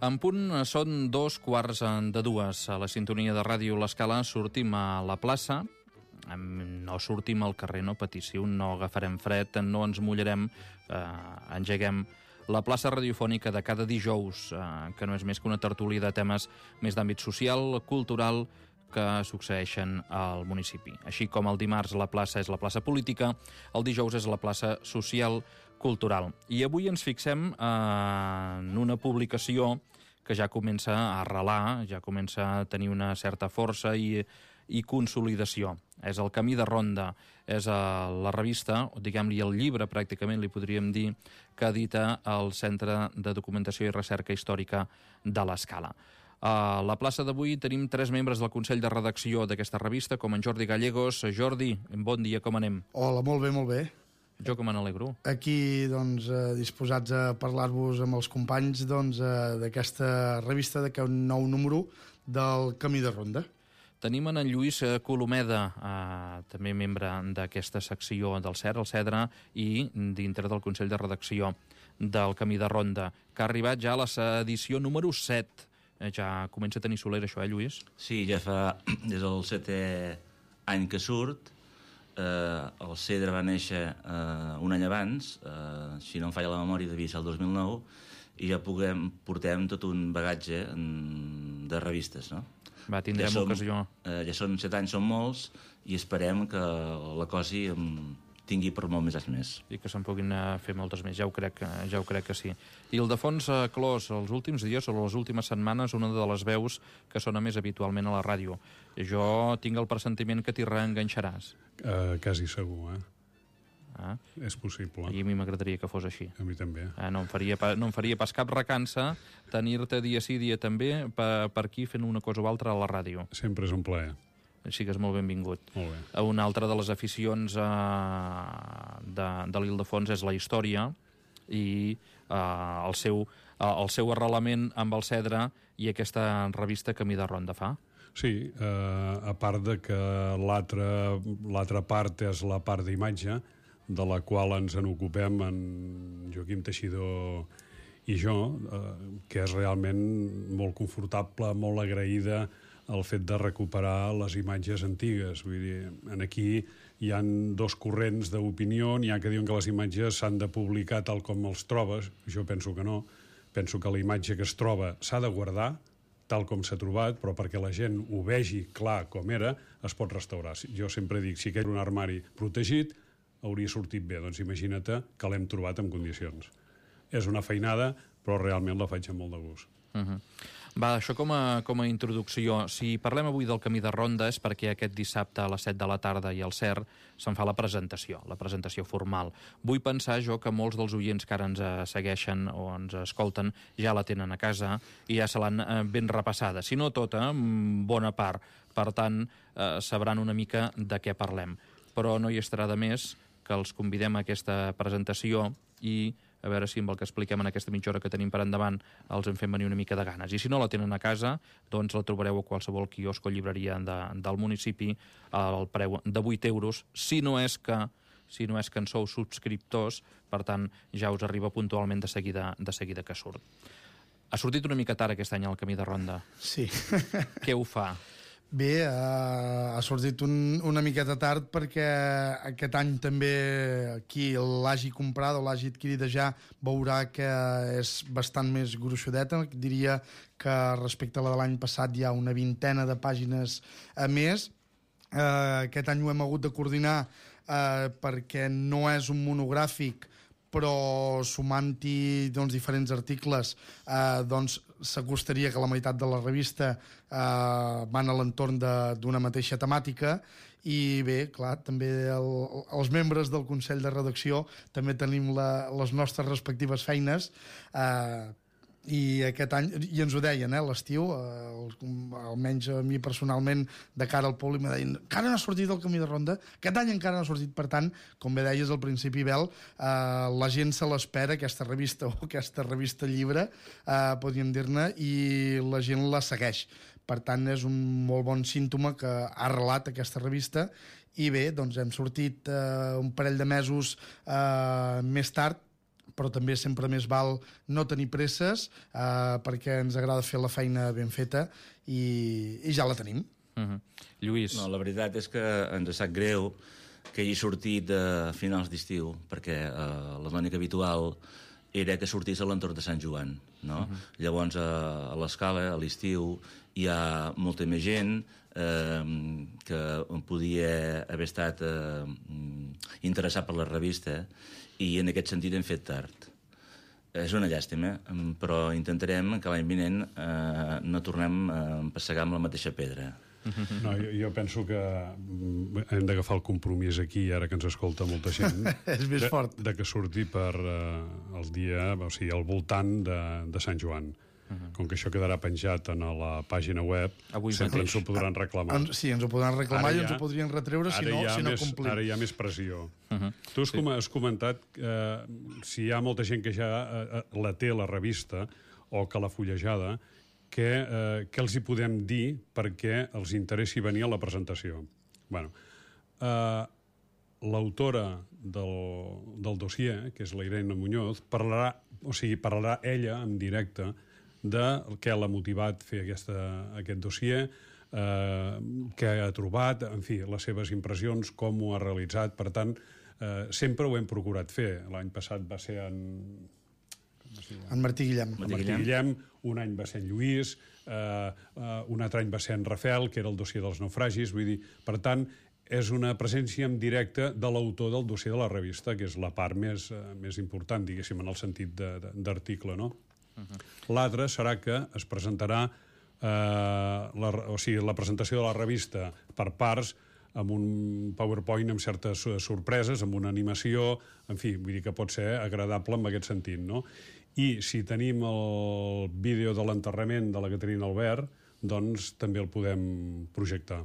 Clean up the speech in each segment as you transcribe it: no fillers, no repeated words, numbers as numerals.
En punt són 2:15 a la sintonia de Ràdio L'Escala. Sortim a la plaça, no sortim al carrer, no patíssiu, no agafarem fred, no ens mullarem, engeguem la plaça radiofònica de cada dijous, que no és més que una tertúlia de temes més d'àmbit social, cultural, que succeeixen al municipi. Així com el dimarts la plaça és la plaça política, el dijous és la plaça social cultural. I avui ens fixem en una publicació que ja comença a arrelar, ja comença a tenir una certa força i consolidació. És el Camí de Ronda, és la revista, o diguem-li el llibre, pràcticament li podríem dir, que edita el Centre de Documentació i Recerca Històrica de l'Escala. A la plaça d'avui tenim 3 membres del Consell de Redacció d'aquesta revista, com en Jordi Gallegos. Jordi, bon dia, com anem? Hola, molt bé, molt bé. Jo que me n'alegro. Aquí, doncs, disposats a parlar-vos amb els companys d'aquesta revista, d'aquest nou número del Camí de Ronda. Tenim en Lluís Colomeda, també membre d'aquesta secció del CER, el CEDRA, i dintre del Consell de Redacció del Camí de Ronda, que ha arribat ja a l'edició número 7. Ja comença a tenir solera això, Lluís? Sí, ja fa des del 7è any que surt. El CEDRA va néixer un any abans, si no em falla la memòria devia ser el 2009, i ja portem tot un bagatge de revistes, no? Va, tindrem ocasió. Ja són 7 anys, són molts, i esperem que la cosa tingui per molt més anys més. I que se'n puguin fer moltes més, ja ho crec que sí. I el Defons Clos, els últims dies o les últimes setmanes, una de les veus que sona més habitualment a la ràdio. Jo tinc el pressentiment que t'hi reenganxaràs. Quasi segur, És possible. I a mi m'agradaria que fos així. A mi també. No em faria pas cap recança tenir-te dia sí, dia també per aquí fent una cosa o altra a la ràdio. Sempre és un plaer. Sigues molt benvingut. Molt bé. Una altra de les aficions de l'Ildefons és la història i el seu arrelament amb el CEDRA i aquesta revista Camí de Ronda fa. Sí, a part de que l'altra part és la part d'imatge, de la qual ens en ocupem en Joaquim Teixidor i jo, que és realment molt confortable, molt agraïda el fet de recuperar les imatges antigues. Vull dir, aquí hi han 2 corrents d'opinió, n'hi ha que diuen que les imatges s'han de publicar tal com els trobes, jo penso que no, penso que la imatge que es troba s'ha de guardar tal com s'ha trobat, però perquè la gent ho vegi clar com era, es pot restaurar. Jo sempre dic, si aquell era un armari protegit, hauria sortit bé. Doncs imagina't que l'hem trobat en condicions. És una feinada, però realment la faig amb molt de gust. Va, això com a introducció. Si parlem avui del Camí de Ronda és perquè aquest dissabte a les 7 de la tarda i al CER se'n fa la presentació formal. Vull pensar jo que molts dels oients que ara ens segueixen o ens escolten ja la tenen a casa i ja se l'han ben repassada. Si no tota, bona part. Per tant, sabran una mica de què parlem. Però no hi estarà de més que els convidem a aquesta presentació i a veure si amb el que expliquem en aquesta mitja hora que tenim per endavant els en fem venir una mica de ganes. I si no la tenen a casa, doncs la trobareu a qualsevol quiosc o llibreria del municipi al preu de 8 euros, si no és que en sou subscriptors, per tant ja us arriba puntualment de seguida que surt. Ha sortit una mica tard aquest any el Camí de Ronda. Sí. Què ho fa? Bé, ha sortit una miqueta tard perquè aquest any també qui l'hagi comprat o l'hagi adquirida ja veurà que és bastant més gruixudeta. Diria que respecte a la de l'any passat hi ha una 20ena de pàgines a més. Aquest any ho hem hagut de coordinar perquè no és un monogràfic, però sumant-hi diferents articles s'acostaria que la meitat de la revista van a l'entorn d'una mateixa temàtica. I bé, clar, també els membres del Consell de Redacció també tenim les nostres respectives feines, i aquest any, i ens ho deien, l'estiu, almenys a mi personalment, de cara al públic, me deien, encara no ha sortit el Camí de Ronda, aquest any encara no ha sortit. Per tant, com bé deies al principi, Bel, la gent se l'espera, aquesta revista o aquesta revista llibre, podríem dir-ne, i la gent la segueix. Per tant, és un molt bon símptoma que ha arrelat aquesta revista. I bé, doncs hem sortit un parell de mesos més tard, però també sempre més val no tenir presses, perquè ens agrada fer la feina ben feta i ja la tenim. Lluís. No, la veritat és que ens sap greu que hagi sortit a finals d'estiu, perquè la tònica habitual era que sortís a l'entorn de Sant Joan, no? Llavors, a l'Escala, a l'estiu, hi ha molta més gent que podia haver estat interessat per la revista i en aquest sentit hem fet tard. És una llàstima, però intentarem que l'any vinent no tornem a passegar amb la mateixa pedra. No, jo penso que hem d'agafar el compromís aquí, ara que ens escolta molta gent, És més fort. de que surti per el dia, o sigui, al voltant de Sant Joan. Com que això quedarà penjat en la pàgina web, Avui sempre mateix. ens ho podran reclamar. Sí, ens ho podran reclamar i ens ho podrien retreure si no complim. Ara hi ha més pressió. Tu has comentat si hi ha molta gent que ja la té, la revista, o que l'ha fullejada, què els hi podem dir perquè els interessi venir a la presentació. Bueno, l'autora del dossier, que és la Irene Muñoz, parlarà ella en directe de què l'ha motivat fer aquest dossier, què ha trobat, en fi, les seves impressions, com ho ha realitzat. Per tant, sempre ho hem procurat fer. L'any passat va ser En Martí Guillem. Un any va ser en Lluís, un altre any va ser en Rafel, que era el dossier dels naufragis. Vull dir, per tant, és una presència en directe de l'autor del dossier de la revista, que és la part més important, diguéssim, en el sentit d'article, no? L'altre serà que es presentarà la presentació de la revista per parts, amb un PowerPoint amb certes sorpreses, amb una animació, en fi, vull dir que pot ser agradable en aquest sentit, no? I si tenim el vídeo de l'enterrament de la Caterina Albert, doncs també el podem projectar.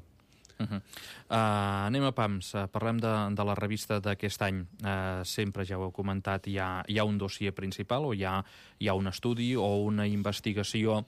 Anem a pams, parlem de la revista d'aquest any. Sempre, ja ho heu comentat, hi ha un dossier principal o hi ha un estudi o una investigació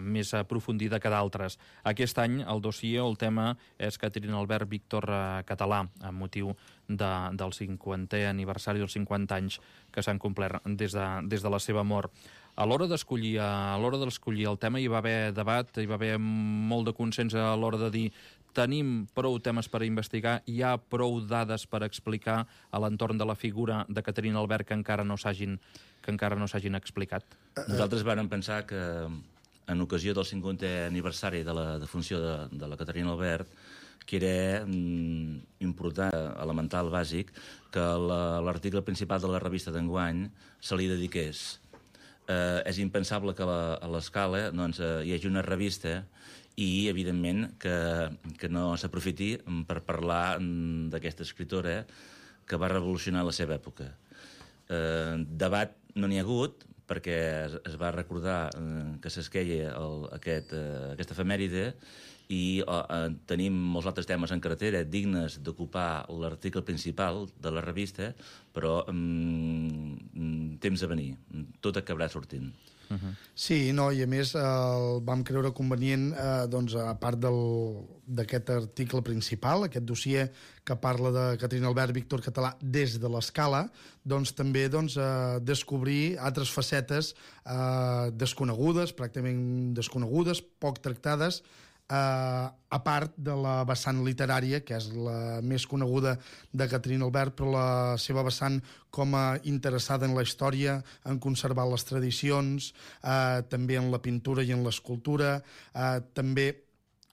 més aprofundida que d'altres. Aquest any el dossier o el tema és Caterina Albert Víctor Català, amb motiu del 50è aniversari dels 50 anys que s'han complert des de la seva mort. A l'hora d'escollir el tema hi va haver debat, hi va haver molt de consens a l'hora de dir tenim prou temes per investigar, hi ha prou dades per explicar a l'entorn de la figura de Caterina Albert que encara no s'hagin explicat. Nosaltres vàrem pensar que en ocasió del 50è aniversari de la defunció de la Caterina Albert, que era important, elemental, bàsic, que l'article principal de la revista d'enguany se li dediqués. És impensable que a l'Escala hi hagi una revista i, evidentment, que no s'aprofiti per parlar d'aquesta escriptora que va revolucionar la seva època. Debat no n'hi ha hagut, perquè es va recordar que s'esqueia aquesta efemèride i tenim molts altres temes en carretera dignes d'ocupar l'article principal de la revista, però temps a venir. Tot acabarà sortint. Sí, no, i a més vam creure convenient, a part d'aquest article principal, aquest dossier que parla de Caterina Albert Víctor Català des de l'Escala, doncs també descobrir altres facetes desconegudes, pràcticament desconegudes, poc tractades, a part de la vessant literària, que és la més coneguda de Caterina Albert, però la seva vessant com a interessada en la història, en conservar les tradicions, també en la pintura i en l'escultura, també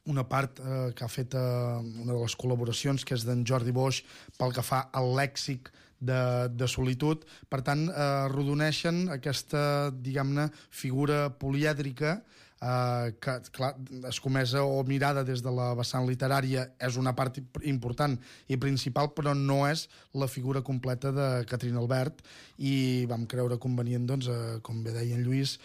una part que ha fet una de les col·laboracions, que és d'en Jordi Boix, pel que fa al lèxic de solitud. Per tant, arrodoneixen aquesta, diguem-ne, figura polièdrica que, clar, escomesa o mirada des de la vessant literària és una part important i principal, però no és la figura completa de Caterina Albert, i vam creure convenient, com bé deia en Lluís,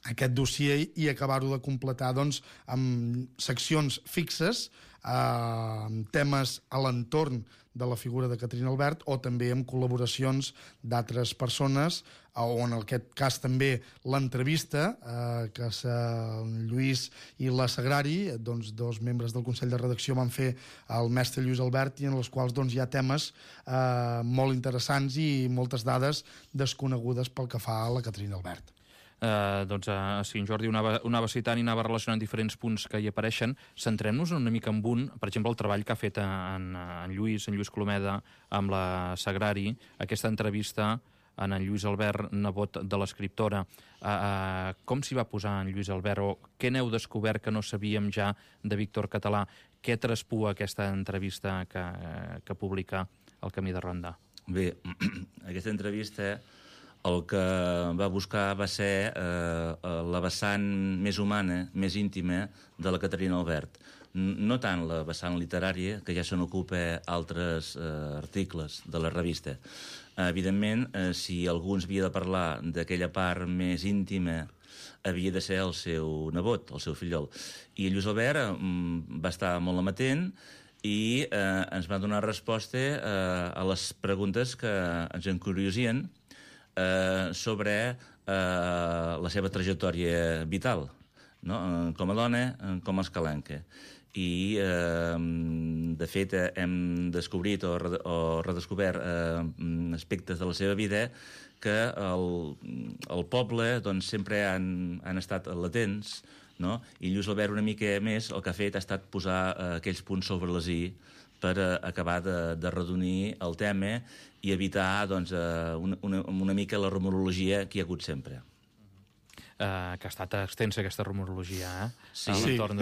aquest dossier i acabar-ho de completar doncs, amb seccions fixes, temes a l'entorn de la figura de Caterina Albert o també amb col·laboracions d'altres persones, o en aquest cas també l'entrevista que el Lluís i la Sagrari, doncs, dos membres del Consell de Redacció, van fer al mestre Lluís Albert, i en els quals doncs, hi ha temes molt interessants i moltes dades desconegudes pel que fa a la Caterina Albert. Si en Jordi ho anava citant i anava relacionant diferents punts que hi apareixen, centrem-nos una mica en un, per exemple, el treball que ha fet en Lluís Colomeda amb la Sagrari, aquesta entrevista en Lluís Albert, nebot de l'escriptora. Com s'hi va posar en Lluís Albert, o què n'heu descobert que no sabíem ja de Víctor Català? Què traspua aquesta entrevista que publica El camí de Ronda? Bé, aquesta entrevista el que va buscar va ser la vessant més humana, més íntima de la Caterina Albert. No tant la vessant literària, que ja se n'ocupa altres articles de la revista. Evidentment, si algú ens havia de parlar d'aquella part més íntima, havia de ser el seu nebot, el seu fillol. I Lluís Albert va estar molt amatent i ens va donar resposta a les preguntes que ens encuriosien sobre la seva trajectòria vital, no? Com a dona, com a escalenca. I, de fet, hem descobrit o redescobert aspectes de la seva vida que el poble doncs, sempre han estat latents, no? I Lluís Albert una mica més el que ha fet ha estat posar aquells punts sobre les i per acabar de redonir el tema i evitar doncs, una mica la rumorologia que hi ha hagut sempre. Que ha estat extensa aquesta rumorologia, Sí. a l'entorn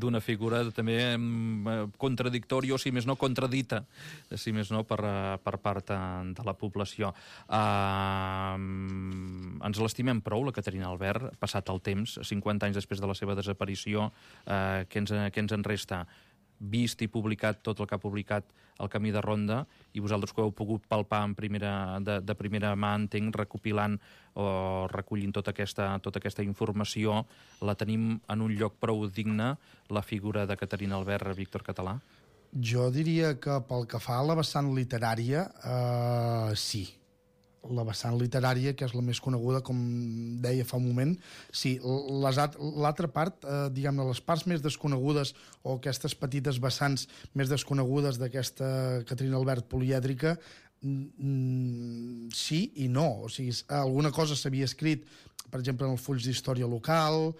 d'una figura també contradictòria, o si més no, contradita, si més no, per part de la població. Ens l'estimem prou, la Caterina Albert, passat el temps, 50 anys després de la seva desaparició, què ens en resta? Vist i publicat tot el que ha publicat El camí de Ronda, i vosaltres que ho heu pogut palpar de primera mà, entenc, recopilant o recollint tota aquesta informació, la tenim en un lloc prou digne, la figura de Caterina Albert, Víctor Català? Jo diria que pel que fa a la vessant literària, sí. La vessant literària, que és la més coneguda, com deia fa un moment, sí. L'altra part, diguem-ne, les parts més desconegudes o aquestes petites vessants més desconegudes d'aquesta Caterina Albert polièdrica, sí i no. O sigui, alguna cosa s'havia escrit, per exemple, en els fulls d'història local,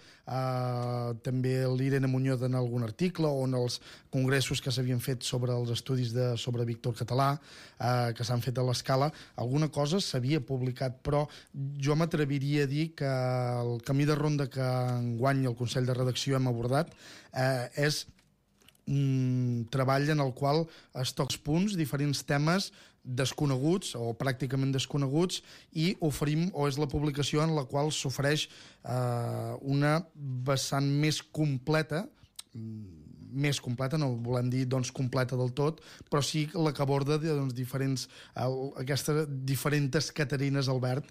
també l'Irene Muñoz en algun article, o en els congressos que s'havien fet sobre els estudis sobre Víctor Català, que s'han fet a l'Escala. Alguna cosa s'havia publicat, però jo m'atreviria a dir que el camí de ronda que enguany el Consell de Redacció hem abordat és un treball en el qual es toca punts, diferents temes desconeguts o pràcticament desconeguts, i oferim, o és la publicació en la qual s'ofereix una vessant més completa, no volem dir doncs, completa del tot, però sí la que aborda doncs, aquestes diferents Caterines Albert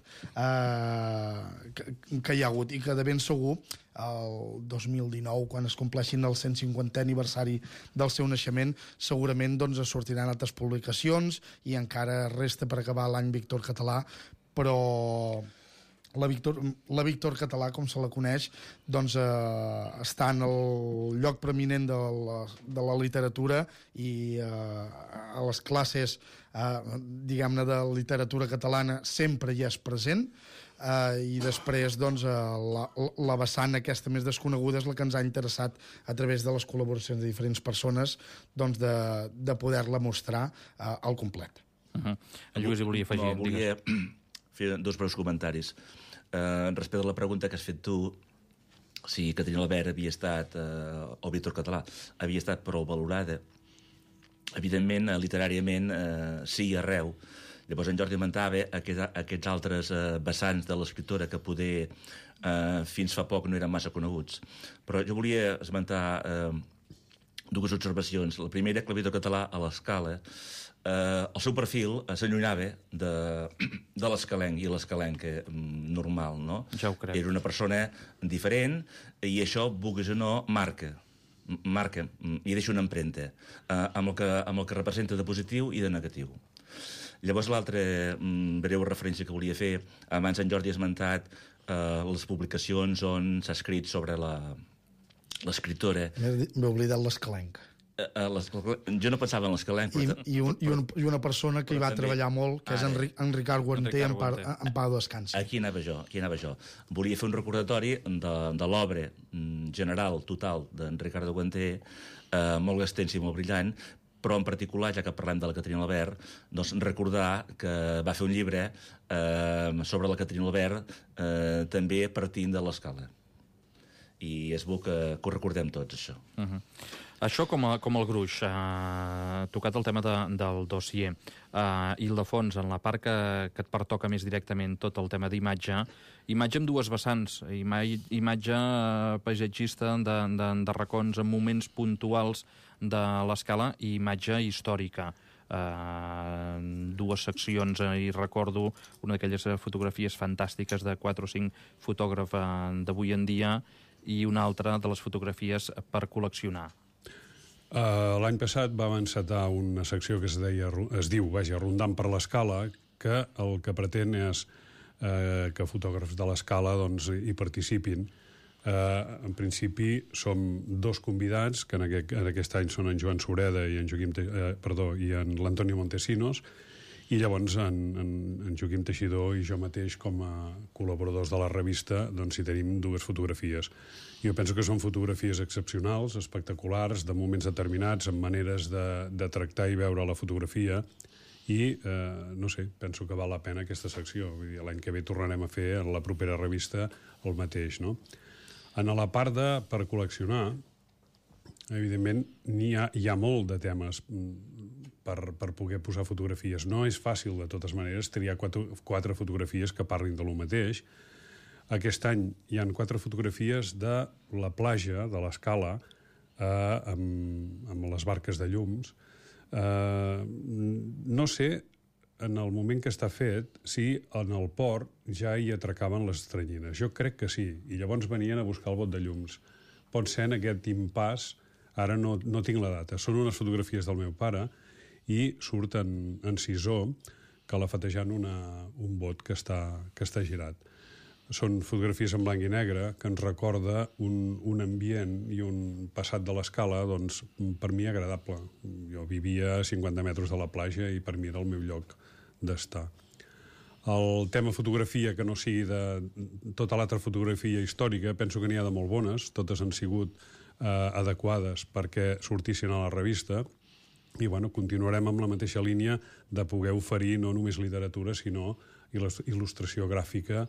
que hi ha hagut, i que de ben segur el 2019, quan es compleixin el 150è aniversari del seu naixement, segurament doncs, sortiran altres publicacions, i encara resta per acabar l'any Víctor Català, però la Víctor Català, com se la coneix, doncs, està en el lloc preeminent de la literatura, i a les classes diguem-ne de literatura catalana sempre hi és present, i després doncs, la vessant aquesta més desconeguda és la que ens ha interessat, a través de les col·laboracions de diferents persones, doncs, de poder-la mostrar al complet. En Lluís hi volia afegir. Volia fer dos breus comentaris. Respecte a la pregunta que has fet tu, si Caterina Albert havia estat, o Víctor Català, havia estat prou valorada, evidentment, literàriament, sí, arreu. Llavors en Jordi comentava aquests altres vessants de l'escriptora que poder fins fa poc no eren massa coneguts. Però jo volia esmentar dues observacions. La primera, que l'Auditor Català a l'Escala, el seu perfil s'allunyava de l'escalenc i l'escalenc normal, no? Ja ho crec. Era una persona diferent i això, vulguis o no, marca i deixa una empremta amb el que representa de positiu i de negatiu. Llavors, l'altra breu referència que volia fer, abans en Jordi ha esmentat les publicacions on s'ha escrit sobre l'escriptora. M'he oblidat l'escalenc. Jo no pensava en l'escalenc, però... I una persona que hi va treballar molt, que és en Ricard Guanter, en pau descansi. Aquí anava jo. Volia fer un recordatori de l'obra general, total, d'en Ricardo Guanter, molt extensa i molt brillant, però en particular, ja que parlem de la Caterina Albert, doncs recordar que va fer un llibre sobre la Caterina Albert també partint de l'Escala. I és bo que ho recordem tots, això. Això com el gruix, tocat el tema del dossier. Ildefons, en la part que et pertoca més directament tot el tema d'imatge amb dues vessants, imatge paisatgista de racons en moments puntuals de l'Escala i imatge històrica. Dues seccions, i recordo una d'aquelles fotografies fantàstiques de 4 o 5 fotògrafs d'avui en dia i una altra de les fotografies per col·leccionar. L'any passat vam encetar una secció que es diu Rondant per l'Escala, que el que pretén és que fotògrafs de l'Escala hi participin. En principi som 2 convidats, que en aquest any són en Joan Sureda i en l'Antonio Montesinos, i llavors en Joaquim Teixidor i jo mateix com a col·laboradors de la revista hi tenim 2 fotografies. Jo penso que són fotografies excepcionals, espectaculars, de moments determinats, amb maneres de tractar i veure la fotografia, i no sé, penso que val la pena aquesta secció. L'any que ve tornarem a fer en la propera revista el mateix, no? En la part per col·leccionar, evidentment, hi ha molt de temes per poder posar fotografies. No és fàcil, de totes maneres, triar 4 fotografies que parlin de lo mateix. Aquest any hi han 4 fotografies de la platja, de l'Escala, amb les barques de llums. No sé, en el moment que està fet, si en el port ja hi atracaven les teranyines. Jo crec que sí, i llavors venien a buscar el bot de llums. Pot ser en aquest impàs, ara no tinc la data. Són unes fotografies del meu pare i surt en sisó calafatejant un bot que està girat. Són fotografies en blanc i negre que ens recorda un ambient i un passat de l'Escala, per mi agradable. Jo vivia a 50 metres de la platja i per mi era el meu lloc d'estar. El tema fotografia, que no sigui de tota l'altra fotografia històrica, penso que n'hi ha de molt bones, totes han sigut adequades perquè sortissin a la revista, i continuarem amb la mateixa línia de poder oferir no només literatura, sinó il·lustració gràfica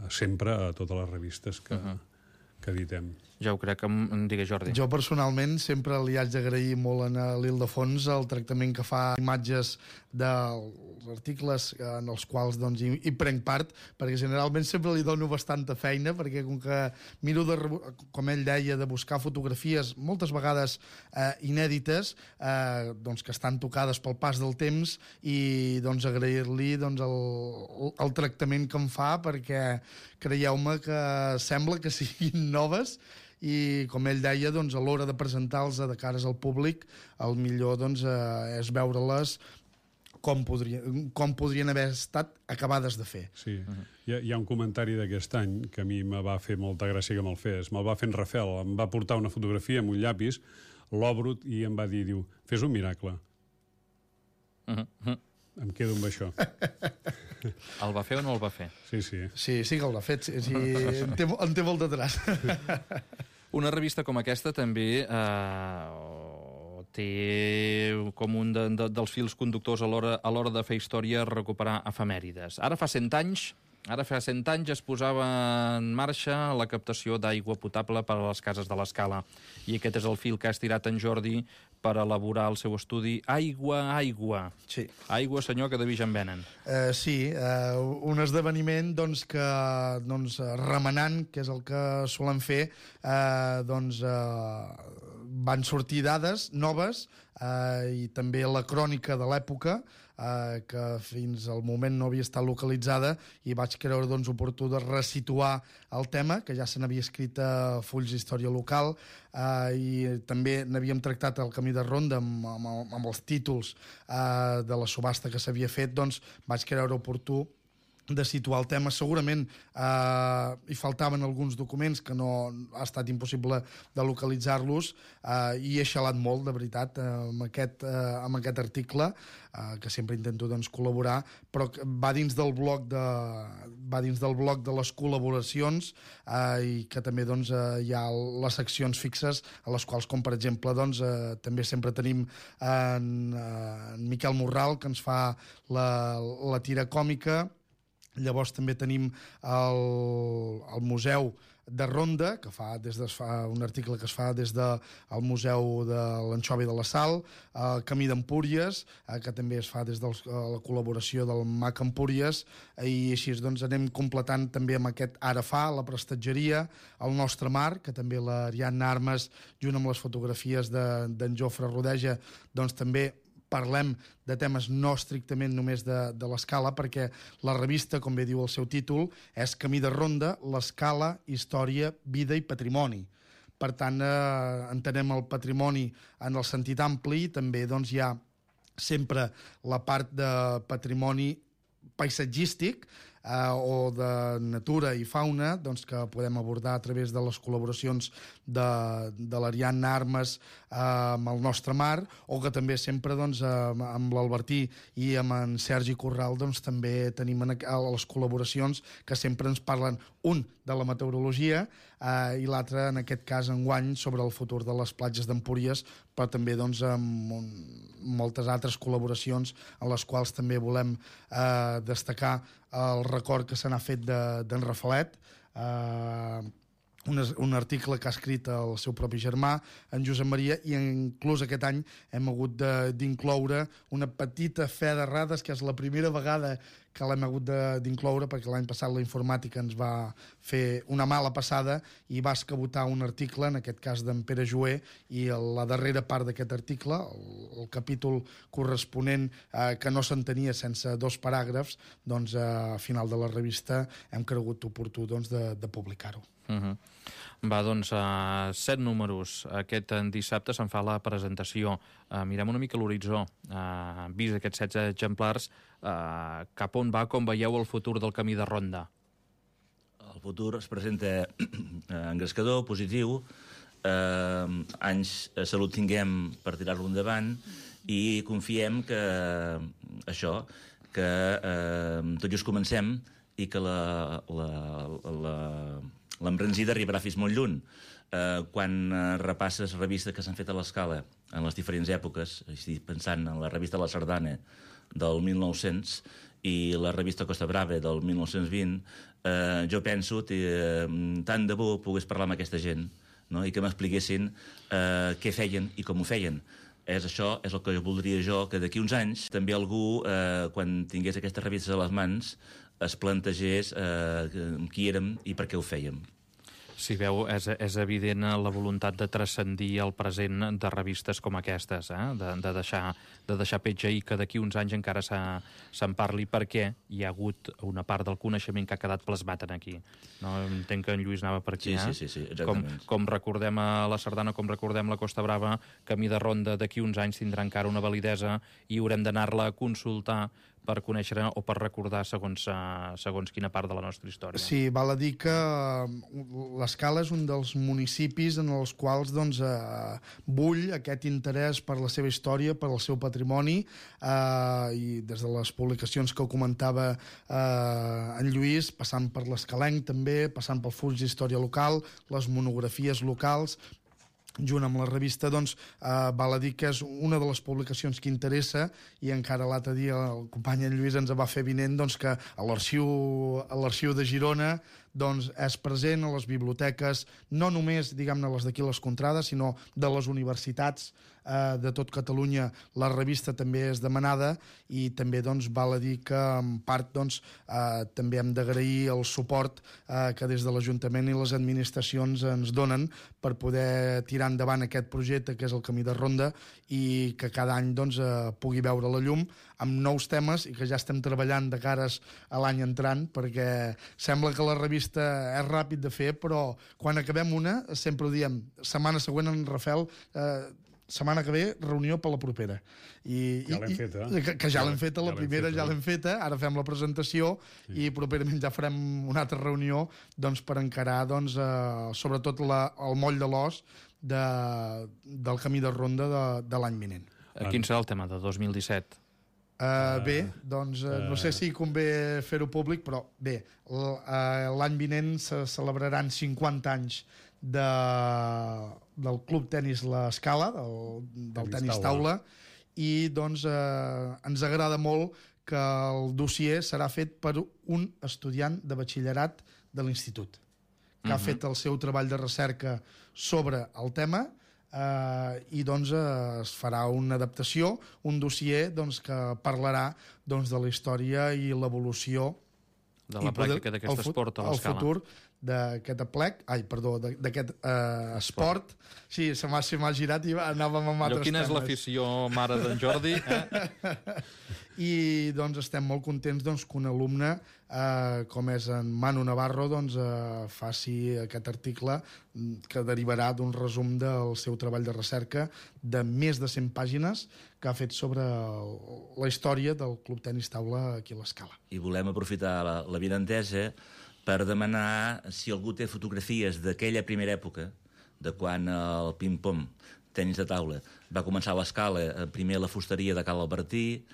sempre a totes les revistes que editem. Ja ho crec, digues, Jordi. Jo personalment sempre li haig d'agrair molt a l'Ildefons el tractament que fa imatges dels articles en els quals hi prenc part, perquè generalment sempre li dono bastanta feina, perquè com que miro, com ell deia, de buscar fotografies moltes vegades inèdites, que estan tocades pel pas del temps, i agrair-li el tractament que em fa, perquè creieu-me que sembla que siguin noves, i com ell deia, a l'hora de presentar-los de cares al públic, el millor és veure-les com podrien haver estat acabades de fer. Sí, hi ha un comentari d'aquest any que a mi me va fer molta gràcia que me'l fes. Me'l va fer en Rafael, em va portar una fotografia amb un llapis, l'obro i em va dir, fes un miracle. Em quedo amb això. El va fer o no el va fer? Sí que el va fer. En té molt de traç. Una revista com aquesta també té com un dels fils conductors a l'hora de fer història recuperar efemèrides. Ara fa 100 anys es posava en marxa la captació d'aigua potable per a les cases de l'Escala. I aquest és el fil que ha estirat en Jordi per elaborar el seu estudi Aigua. Sí. Aigua, senyor, que de vi ja en venen. Sí, un esdeveniment que remenant, que és el que solen fer, van sortir dades noves i també la crònica de l'època, que fins al moment no havia estat localitzada, i vaig creure doncs, oportú de resituar el tema, que ja se n'havia escrit a fulls d'història local, i també n'havíem tractat el Camí de Ronda amb els títols de la subhasta que s'havia fet, doncs vaig creure oportú de situar el tema. Segurament hi faltaven alguns documents que no ha estat impossible de localitzar-los, i he xalat molt, de veritat, amb aquest article, que sempre intento doncs, col·laborar, però va dins del bloc de les col·laboracions, i que també doncs, hi ha les seccions fixes, a les quals, com per exemple, doncs, també sempre tenim en Miquel Morral, que ens fa la tira còmica. Llavors també tenim el Museu de Ronda, que fa un article que es fa des del Museu de l'Anxova i de la Sal, el Camí d'Empúries, que també es fa des de la col·laboració del MAC Empúries, i així doncs anem completant també amb aquest Ara fa, la prestatgeria, el Nostre Mar, que també l'Ariadna Armes, junt amb les fotografies d'en Jofre Rodeja, doncs també parlem de temes no estrictament només de l'escala, perquè la revista, com bé diu el seu títol, és Camí de Ronda, l'escala, història, vida i patrimoni. Per tant, entenem el patrimoni en el sentit ampli, i també doncs, hi ha sempre la part de patrimoni paisatgístic, o de natura i fauna, doncs, que podem abordar a través de les col·laboracions de l'Ariadna Armes amb el Nostre Mar, o que també sempre doncs, amb l'Albertí i amb en Sergi Corral doncs, també tenim les col·laboracions que sempre ens parlen, un de la meteorologia i l'altre, en aquest cas, enguany, sobre el futur de les platges d'Empúries, però també doncs, amb moltes altres col·laboracions en les quals també volem destacar el record que se n'ha fet d'en Rafalet, un article que ha escrit el seu propi germà, en Josep Maria, i inclús aquest any hem hagut d'incloure una petita fe d'errades, que és la primera vegada que l'hem hagut d'incloure, perquè l'any passat la informàtica ens va fer una mala passada i va escabotar un article, en aquest cas d'en Pere Joé, i la darrera part d'aquest article, el capítol corresponent, que no s'entenia sense 2 paràgrafs, doncs a final de la revista hem cregut oportú doncs, de publicar-ho. Va, doncs, 7 números. Aquest dissabte se'n fa la presentació. Mirem una mica l'horitzó. Vist aquests 16 exemplars, cap on va, com veieu el futur del Camí de Ronda? El futur es presenta engrescador, positiu, anys de salut tinguem per tirar-lo endavant, i confiem que això, que tot just comencem i que l'embranzida arribarà fins molt lluny. Quan repasses revistes que s'han fet a l'escala en les diferents èpoques, estic pensant en la revista La Sardana del 1900 i la revista Costa Brava del 1920, jo penso que tant de bo pogués parlar amb aquesta gent, no? I que m'expliquessin què feien i com ho feien. Això és el que voldria jo, que d'aquí uns anys també algú, quan tingués aquestes revistes a les mans, es plantegés qui érem i per què ho fèiem. Si veu, és evident la voluntat de transcendir el present de revistes com aquestes, de deixar petja i que d'aquí uns anys encara se'n parli, perquè hi ha hagut una part del coneixement que ha quedat plasmat aquí. No? Entenc que en Lluís anava per aquí. Sí, exactament. Com recordem a la Sardana, com recordem la Costa Brava, Camí de Ronda d'aquí uns anys tindrà encara una validesa i haurem d'anar-la a consultar per conèixer o per recordar segons quina part de la nostra història. Sí, val a dir que l'Escala és un dels municipis en els quals doncs, bull aquest interès per la seva història, per el seu patrimoni, i des de les publicacions que comentava en Lluís, passant per l'Escalenc també, passant pel Fulls d'Història Local, les monografies locals, junt amb la revista, doncs, val a dir que és una de les publicacions que interessa, i encara l'altre dia el company en Lluís ens va fer vinent doncs, que a l'arxiu de Girona doncs, és present a les biblioteques, no només, diguem-ne, les d'aquí les contrades, sinó de les universitats de tot Catalunya. La revista també és demanada i també doncs, val a dir que en part doncs, també hem d'agrair el suport que des de l'Ajuntament i les administracions ens donen per poder tirar endavant aquest projecte que és el Camí de Ronda i que cada any doncs, pugui veure la llum amb nous temes i que ja estem treballant de cares a l'any entrant, perquè sembla que la revista és ràpid de fer, però quan acabem una, sempre ho diem, setmana següent en Rafael, setmana que ve, reunió per la propera. Ja l'hem feta. Que ja l'hem feta, la primera ja l'hem feta, ara fem la presentació i properament ja farem una altra reunió doncs, per encarar doncs, sobretot el moll de l'os del Camí de Ronda de l'any vinent. Quin serà el tema de 2017? Bé, doncs no sé si convé fer-ho públic, però bé, l'any vinent se celebraran 50 anys del Club Tenis La Scala, del tenis taula, i doncs ens agrada molt que el dossier serà fet per un estudiant de batxillerat de l'institut, que ha fet el seu treball de recerca sobre el tema i doncs es farà una adaptació, un dossier doncs, que parlarà doncs, de la història i l'evolució de la pràctica d'aquest esport a l'Escala. El futur d'aquest aplec, d'aquest esport. Sí, se m'ha girat i anàvem amb altres temes. Quina és l'afició mare d'en Jordi? I doncs estem molt contents doncs, que un alumne com és en Manu Navarro doncs, faci aquest article que derivarà d'un resum del seu treball de recerca de més de 100 pàgines que ha fet sobre la història del Club Tenis Taula aquí a l'Escala. I volem aprofitar l'avinentesa per demanar si algú té fotografies d'aquella primera època, de quan el ping-pong, tenis de taula, va començar a l'Escala, primer a la fusteria de Cal Albertí,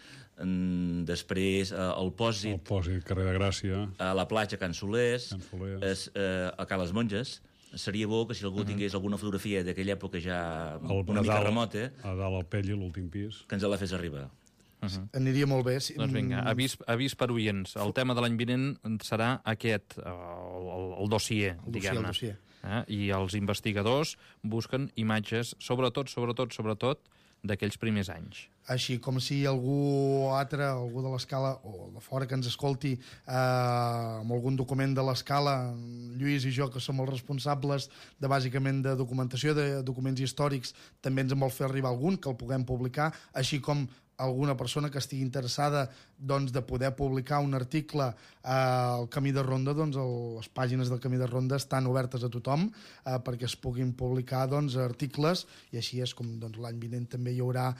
després al Pòsit... El Pòsit, carrer de Gràcia... A la platja Can Solers, a Cal Les Monges. Seria bo que si algú tingués alguna fotografia d'aquella època ja una mica remota... A dalt al Pelli, l'últim pis. Que ens la fes arribar. Aniria molt bé. Doncs vinga, avís per oients. El tema de l'any vinent serà aquest, el dossier, diguem-ne. I els investigadors busquen imatges, sobretot, d'aquells primers anys. Així com si algú altre, algú de l'Escala o de fora que ens escolti amb algun document de l'Escala, Lluís i jo, que som els responsables bàsicament de documentació, de documents històrics, també ens en vol fer arribar algun, que el puguem publicar, així com alguna persona que estigui interessada doncs, de poder publicar un article al Camí de Ronda, doncs, les pàgines del Camí de Ronda estan obertes a tothom perquè es puguin publicar doncs, articles, i així és com doncs, l'any vinent també hi haurà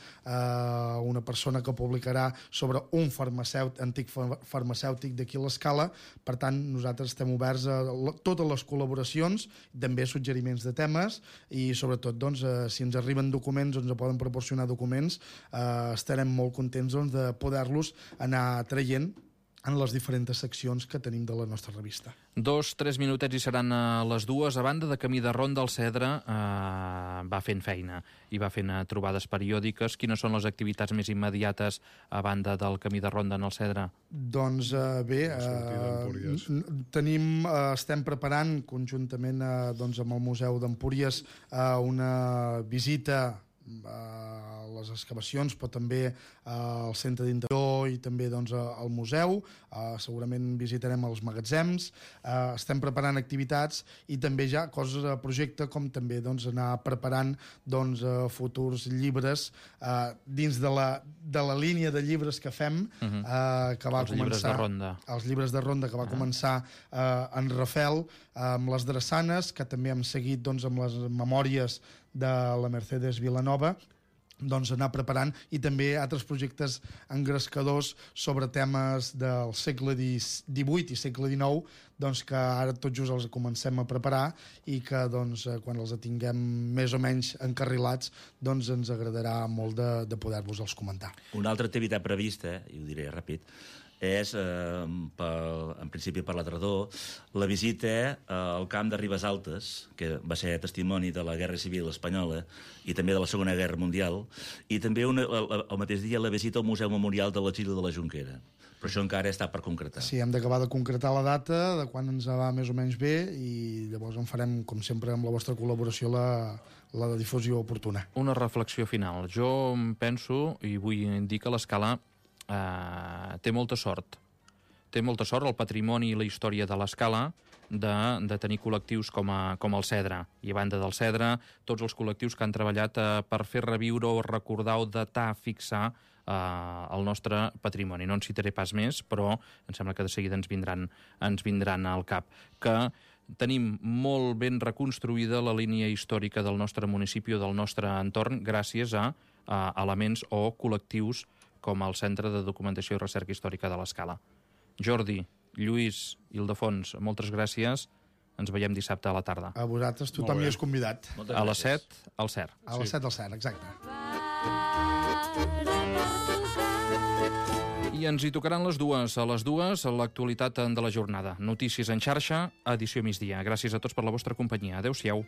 una persona que publicarà sobre un antic farmacèutic d'aquí a l'Escala. Per tant, nosaltres estem oberts a totes les col·laboracions, també suggeriments de temes, i sobretot doncs, si ens arriben documents o ens poden proporcionar documents, estarem molt contents doncs, de poder-los anar traient en les diferents seccions que tenim de la nostra revista. 2-3 minutets i seran a les 2. A banda de Camí de Ronda, el Cedre va fent feina i va fent trobades periòdiques. Quines són les activitats més immediates a banda del Camí de Ronda en el Cedre? Doncs bé, estem preparant conjuntament doncs, amb el Museu d'Empúries una visita a les excavacions, però també al centre d'interior i també doncs, al museu. Segurament visitarem els magatzems. Estem preparant activitats i també ja coses a projecte, com també doncs, anar preparant doncs, futurs llibres dins de la línia de llibres que fem, que va els llibres de ronda. Els llibres de ronda que va començar en Rafel amb les drassanes, que també hem seguit doncs, amb les memòries de la Mercedes Vilanova, doncs anar preparant, i també altres projectes engrescadors sobre temes del segle XVIII i segle XIX, doncs que ara tot just els comencem a preparar i que doncs, quan els tinguem més o menys encarrilats doncs ens agradarà molt de poder-vos-els comentar. Una altra activitat prevista, i ho diré ràpid, és, en principi per la tardor, la visita al camp de Ribes Altes, que va ser testimoni de la Guerra Civil Espanyola i també de la Segona Guerra Mundial, i també el mateix dia la visita al Museu Memorial de l'exili de la Jonquera. Però això encara està per concretar. Sí, hem d'acabar de concretar la data, de quan ens va més o menys bé, i llavors en farem, com sempre, amb la vostra col·laboració, la difusió oportuna. Una reflexió final. Jo penso, i vull dir que l'Escala té molta sort. Té molta sort el patrimoni i la història de l'Escala de tenir col·lectius com el Cedre. I a banda del Cedre, tots els col·lectius que han treballat per fer reviure o recordar o datar, fixar el nostre patrimoni. No en citaré pas més, però em sembla que de seguida ens vindran al cap. Que tenim molt ben reconstruïda la línia històrica del nostre municipi o del nostre entorn gràcies a elements o col·lectius com el Centre de Documentació i Recerca Històrica de l'Escala. Jordi, Lluís, Ildefons, moltes gràcies. Ens veiem dissabte a la tarda. A vosaltres tothom hi és convidat. A les 7, al CER. A les 7 al CER, exacte. I ens hi tocaran les dues. A les dues, l'actualitat de la jornada. Notícies en xarxa, edició migdia. Gràcies a tots per la vostra companyia. Adéu-siau.